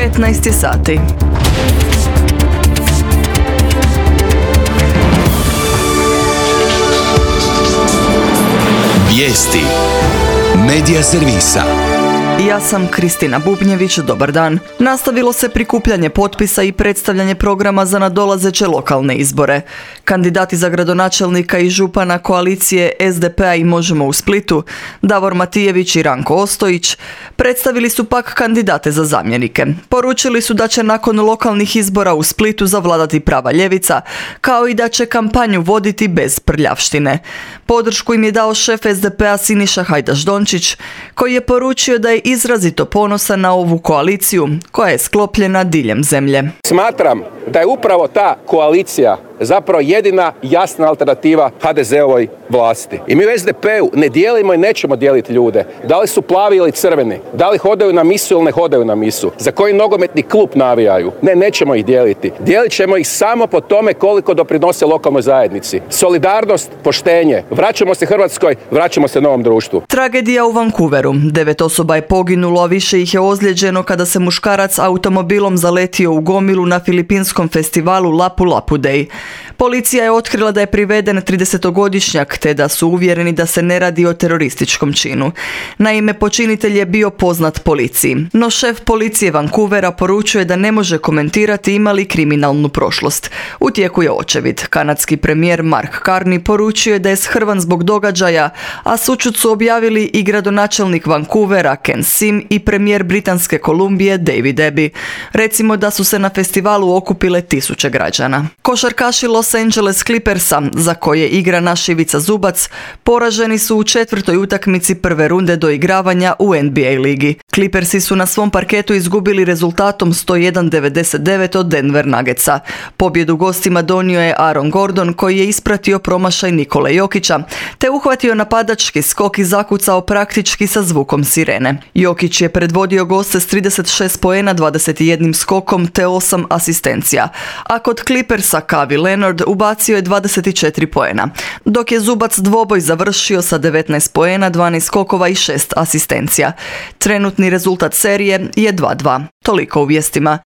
15 sati. Vijesti Medija servisa. Ja sam Kristina Bubnjević, dobar dan. Nastavilo se prikupljanje potpisa i predstavljanje programa za nadolazeće lokalne izbore. Kandidati za gradonačelnika i župana koalicije SDP-a i Možemo u Splitu, Davor Matijević i Ranko Ostojić, predstavili su pak kandidate za zamjenike. Poručili su da će nakon lokalnih izbora u Splitu zavladati prava ljevica, kao i da će kampanju voditi bez prljavštine. Podršku im je dao šef SDP-a Siniša Hajdaš-Dončić, koji je poručio da je izrazito ponosan na ovu koaliciju koja je sklopljena diljem zemlje. Smatram da je upravo ta koalicija zapravo jedina jasna alternativa HDZ-ovoj vlasti. I mi u SDP-u ne dijelimo i nećemo dijeliti ljude. Da li su plavi ili crveni, da li hodaju na misu ili ne hodaju na misu, za koji nogometni klub navijaju. Ne, nećemo ih dijeliti. Dijelit ćemo ih samo po tome koliko doprinose lokalnoj zajednici. Solidarnost, poštenje. Vraćamo se Hrvatskoj, vraćamo se novom društvu. Tragedija u Vancouveru. 9 osoba je poginulo, a više ih je ozlijeđeno kada se muškarac automobilom zaletio u gomilu na filipinskom festivalu Lapu Lapu Day. Policija je otkrila da je priveden 30-godišnjak, te da su uvjereni da se ne radi o terorističkom činu. Naime, počinitelj je bio poznat policiji, no šef policije Vancouvera poručuje da ne može komentirati ima li kriminalnu prošlost. U tijeku je očevid. Kanadski premijer Mark Carney poručio je da je shrvan zbog događaja, a sućut su objavili i gradonačelnik Vancouvera Ken Sim i premijer Britanske Kolumbije David Abbey. Recimo da su se na festivalu okupile tisuće građana. Košarkaši Los Angeles Clippersa, za koje igra naš Ivica Zubac, poraženi su u 4. utakmici prve runde doigravanja u NBA ligi. Clippersi su na svom parketu izgubili rezultatom 101-99 od Denver Nuggetsa. Pobjedu gostima donio je Aaron Gordon, koji je ispratio promašaj Nikole Jokića, te uhvatio napadački skok i zakucao praktički sa zvukom sirene. Jokić je predvodio goste s 36 poena, 21 skokom te 8 asistencija, a kod Clippersa Kawhi Leonard ubacio je 24 poena, dok je Zubac dvoboj završio sa 19 poena, 12 skokova i 6 asistencija. Trenutni rezultat serije je 2:2. Toliko u vijestima.